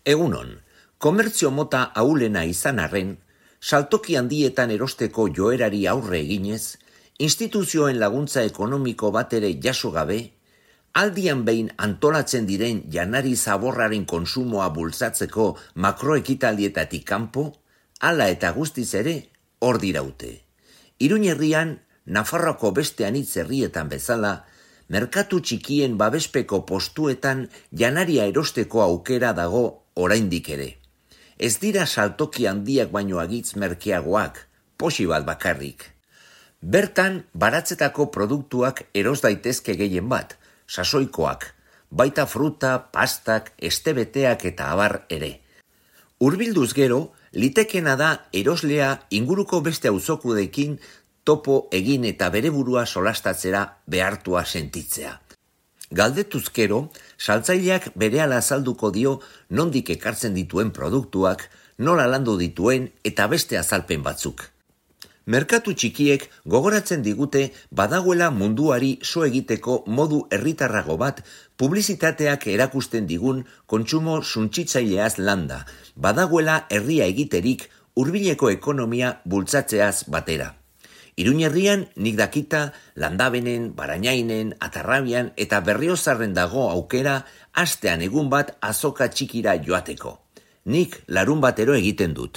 Egunon, komertzio mota ahulena izan arren, saltoki handietan erosteko joerari aurre eginez, instituzioen laguntza ekonomiko bat ere jaso gabe, aldian behin antolatzen diren janari zaborraren kontsumoa bultzatzeko makroekitaldietatik kanpo, hala eta guztiz ere hor diraute. Iruin herrian, Nafarroako beste anitz herrietan bezala, merkatu txikien babespeko postuetan janaria erosteko aukera dago oraindik ere. Ez dira saltoki handiak baino agitz merkeagoak, posi bat bakarrik. Bertan, baratzetako produktuak eros daitezke gehien bat, sasoikoak, baita fruta, pastak, estebeteak eta abar ere. Hurbilduz gero, litekena da eroslea inguruko beste auzokudeekin topo egin eta bere burua solastatzera behartua sentitzea. Galdetuz gero, saltzaileak berehala azalduko dio nondik ekartzen dituen produktuak, nola landu dituen eta beste azalpen batzuk. Merkatu txikiek gogoratzen digute badagoela munduari so egiteko modu herritarrago bat publizitateak erakusten digun kontsumo suntsitzaileaz landa, badagoela herria egiterik hurbileko ekonomia bultzatzeaz batera. Iruin herrian nik dakita Landabenen, Barainainen, Atarrabian eta Berriozarren dago aukera astean egun bat azoka txikira joateko. Nik larun batero egiten dut.